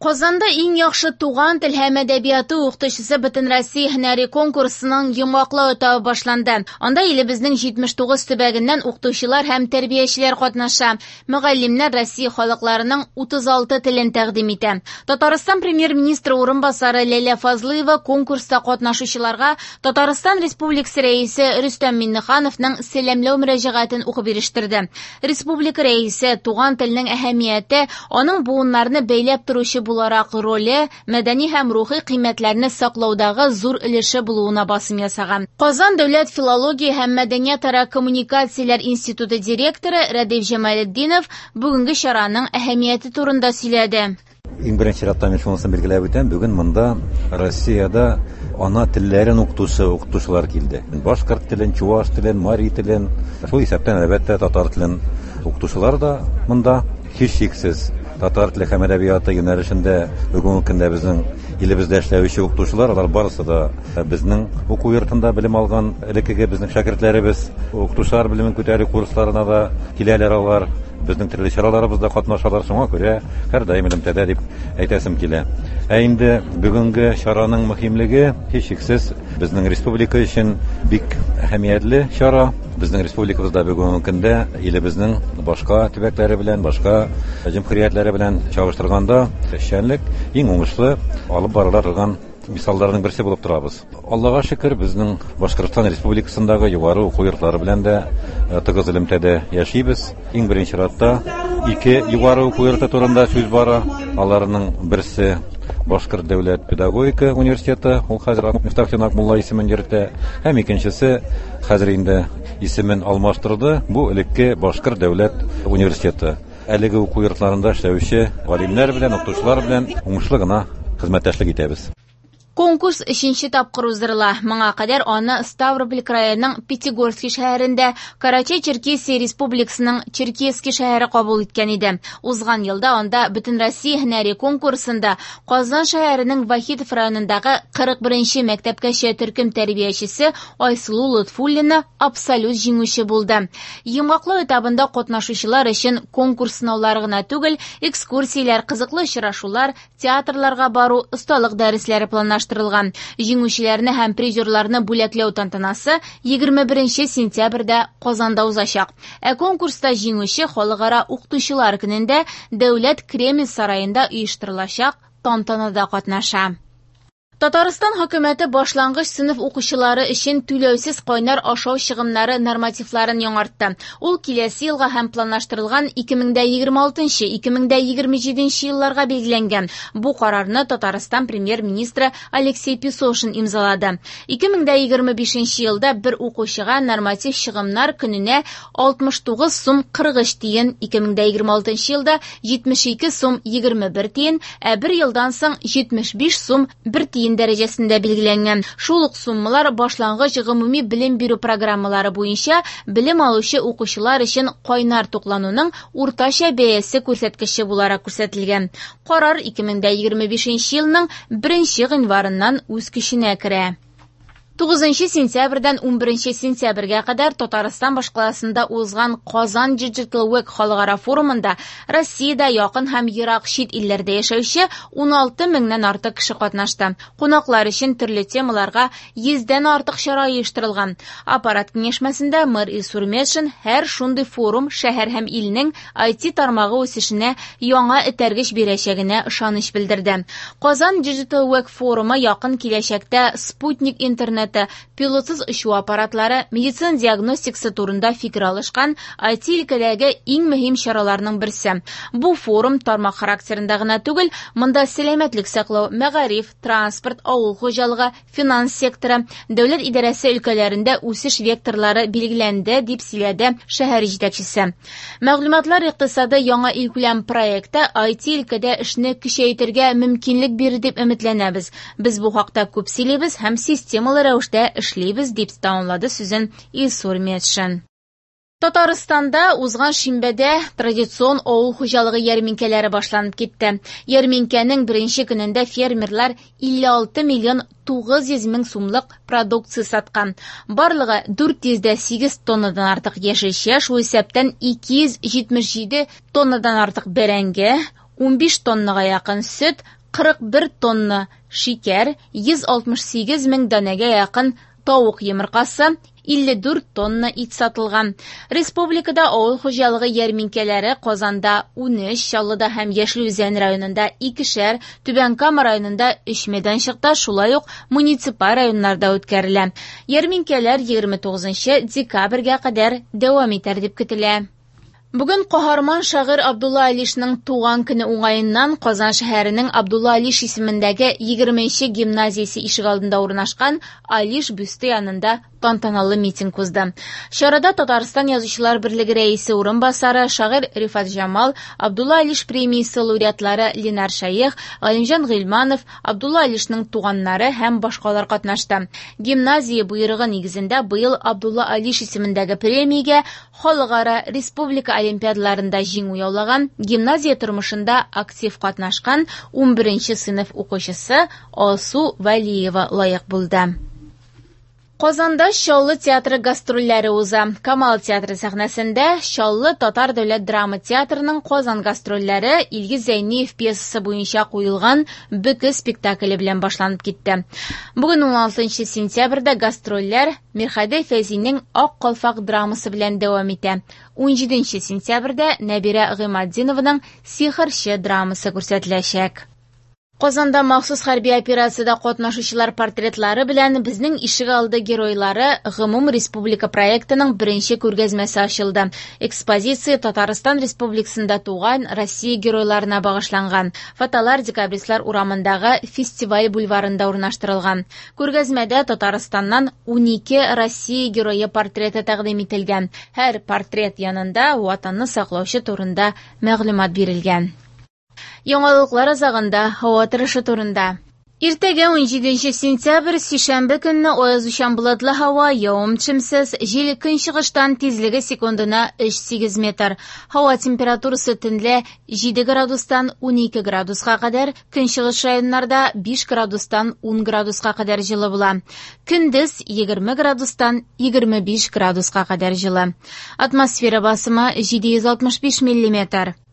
Казанда иң яхшы туган тел һәм әдәбияты укытучысы Бөтенроссия һөнәри конкурсының йомгаклау этабы башланды. Анда илебезнең 79 төбәгеннән укытучылар һәм тәрбиячеләр катнаша. Мөгаллимнәр Россия халыкларының 36 телен тәкъдим итә. Татарстан премьер-министры урынбасары Ләйлә Фазлыева конкурста катнашучыларга Татарстан Республикасы Рәисе Рөстәм Миңнехановның сәламләү мөрәҗәгатен укып ирештерде. Республика Рәисе туган телнең әһәмияте, аның буыннарны бәйләп торучы буларак роле, мәдәни һәм рухи кыйммәтләрне саклаудагы зур өлеше булуына басым ясаган. Казан дәүләт филология һәм мәдәниятара коммуникацияләр институты директоры Рәдиф Җамалетдинов бүгенге чараның әһәмияте турында сөйләде. Иң беренче чиратта мин шунысын билгеләп үтәм, бүген монда Россиядә ана телләрен укытучы укытучылар килде. Башкорт телен, чуваш телен, мари телен, шул исәптән, әлбәттә, татар телен укытучылар да монда. Һичшиксез, татар теле һәм әдәбияты юнәлешендә бүгенге көндә безнең илебездә эшләүче укытучылар, алар барысы да безнең уку йортында белем алган элеккеге безнең шәкертләребез. Укытучылар белемен күтәрү курсларына да киләләр алар, безнең төрле чараларыбызда катнашалар, шуңа күрә һәрдаим элемтәдә дип әйтәсем килә. Ә инде бүгенге чараның мөһимлеге, һичшиксез, безнең республика өчен бик әһәмиятле чара. Безнең республикабызда бүгенге көндә илебезнең башка төбәкләре белән, башка җөмһүриятләре белән чагыштырганда эшчәнлек иң уңышлы алып барыла торган мисалларның берсе булып торабыз. Аллага шөкер, безнең Башкортстан Республикасындагы югары уку йортлары белән дә тыгыз элемтәдә яшибез. Иң беренче чиратта ике югары уку йорты турында сүз бара. Аларның берсе Башкорт дәүләт педагогика университеты, ул хәзер Мифтахетдин Акмулла исемен йөртә, һәм икенчесе хәзер инде исемен алмаштырды, бу элекке Башкорт дәүләт университеты. Әлеге уку йортларында эшләүче галимнәр белән, укытучылар белән уңышлы гына хезмәттәшлек итәбез. Конкурс өченче тапкыр уздырыла. Моңа кадәр аны Ставрополь краеның Пятигорский шәһәрендә, Карачай-Черкесия республикасының Черкесский шәһәре кабул иткән иде. Узган елда анда Бөтенроссия һөнәри конкурсында Казан шәһәренең Вахитов районындагы 41-нче мәктәпкәчә төркем тәрбиячесе Айсылу Лотфуллина абсолют җиңүче булды. Йомгаклау этабында катнашучылар өчен конкурс сынаулары гына түгел, экскурсияләр, кызыклы очрашулар, театрларга бару, осталык дәресләре планлаштырылган. Җиңүчеләрне һәм призерларны бүләкләү тантанасы 21 сентябрьдә Казанда узачак. Ә конкурста җиңүче Халыкара укытучылар көнендә Дәүләт Кремль сараенда оештырылачак тантанада катнаша. Татарстан хөкүмәте башлангыч сыйныф укучылары өчен түләүсез кайнар ашау чыгымнары нормативларын яңартты. Ул киләсе елга һәм планлаштырылган 2026-2027 елларга билгеләнгән. Бу карарны Татарстан премьер-министры Алексей Песошин имзалады. 2025 елда бер укучыга норматив чыгымнар көненә 69 сум 43 тиен, 2026 елда 72 сум 21 тиен, ә бер елдан соң 75 сум 1 тиен дәрәҗәсендә билгеләнгән. Шул ук суммалар башлангыч гомуми белем бирү программалары буенча белем алучы укучылар өчен кайнар туклануның уртача бәясе күрсәткече буларак күрсәтелгән. Карар 2025 елның 1 гыйнварыннан үз көченә керә. 9 сентябрьдән 11 сентябрьгә кадәр Татарстан башкаласында узган Казан Digital Week халыкара форумында Россиядә якын һәм ерак чит илләрдә яшәүче 16 меңнән артык кеше катнашты. Кунаклар өчен төрле темаларга 100дән артык чара оештырылган. Аппарат киңәшмәсендә мэр Илсур Метшин һәр шундый форум шәһәр һәм илнең IT тармагы үсешенә яңа этәргеч бирәчәгенә ышаныч белдерде. Казан Digital Week форумы якын киләчәктә спутник интернет, пилотсыз очу аппаратлары, медицина диагностикасы турында фикер алышкан IT өлкәдәге иң мөһим чараларның берсе. Бу форум тармак характерында гына түгел, монда сәламәтлек саклау, мәгариф, транспорт, авыл хуҗалыгы, финанс секторы, дәүләт идарәсе өлкәләрендә үсеш векторлары билгеләнде, дип сөйләде шәһәр җитәкчесе. Мәгълүматлар икътисады яңа илкүләм проекты IT өлкәдә эшне көчәйтергә мөмкинлек бирер дип өметләнәбез. Без бу хакта күп сөйлибез һәм системалы рәвештә эшлибез, дип тәмамлады сүзен Илсур Метшин. Татарстанда узган шимбәдә традицион авыл хуҗалыгы ярминкәләре башланып китте. Ярминкәнең беренче көнендә фермерлар 56 миллион 900 мең сумлык продукция саткан. Барлыгы 408 тоннадан артык яшелчә, шул исәптән 277 тоннадан артык бәрәңге, 15 тоннага якын сөт, 41 тонна шикәр, 168 мең данәгә якын тавык йомыркасы, 54 тонна ит сатылган. Республикада авыл хуҗалыгы ярминкәләре Казанда 13, Чаллыда һәм Яшел Үзән районында икешәр, Түбән Кама районында 3 мәйданчыкта, шулай ук муниципаль районнарда үткәрелә. Ярминкәләр 29 декабрьгә кадәр дәвам итәр дип көтелә. Бүген каһарман шагыйрь Абдулла Алишның туган көне уңаеннан Казан шәһәренең Абдулла Алиш исемендәге 20нче гимназиясе ишегалдында урнашкан Алиш бюсты янында тантаналы митинг узды. Чарада Татарстан Язучылар берлеге рәисе урынбасары, шагыйрь Рифат Җамал, Абдулла Алиш премиясе лауреатлары Ленар Шәех, Галимҗан Гыйльманов, Абдулла Алишның туганнары һәм башкалар катнашты. Гимназия боерыгы нигезендә быел Абдулла Алиш исемендәге премиягә халыкара республика олимпиадаларында җиңү яулаган, гимназия тормышында актив катнашкан 11 сыйныф укучысы Алсу Вәлиева лаек булды. Казанда Чаллы театры гастрольләре уза. Камал театры сәхнәсендә Чаллы татар дәүләт драма театрының Казан гастрольләре Илгиз Зәйниев пьесасы буенча куелган Бөке спектакле белән башланып китте. Бүген 16 сентябрьдә гастрольләр Мирхәди Фәйзинең Ак калфак драмасы белән дәвам итә. 17 сентябрьдә Нәбирә Гыйматдинованың Сихерче драмасы күрсәтеләчәк. Казанда махсус хәрби операциядә катнашучылар портретлары белән Безнең ишегалды геройлары гомум республика проектының беренче күргәзмәсе ачылды. Экспозиция Татарстан Республикасында туган Россия геройларына багышланган. Фотолар Декабристлар урамындагы фестиваль бульварында урнаштырылган. Күргәзмәдә Татарстаннан 12 Россия герое портреты тәкъдим ителгән. Һәр портрет янында Ватанны саклаучы турында мәгълүмат бирелгән. Яңалыклар азагында һава торышы турында. Иртәгә 17 сентябрь, сишәмбе көнне аязучан болытлы һава, явым-төшемсез, җил көнчыгыштан, тизлеге секундына 3,8 метр. Һава температурасы төнлә 7 градустан 12 градуска кадәр, көнчыгыш районнарда 5 градустан 10 градуска кадәр җылы була. Көндез 20 градустан 25 градуска кадәр җылы. Атмосфера басымы 765 миллиметр.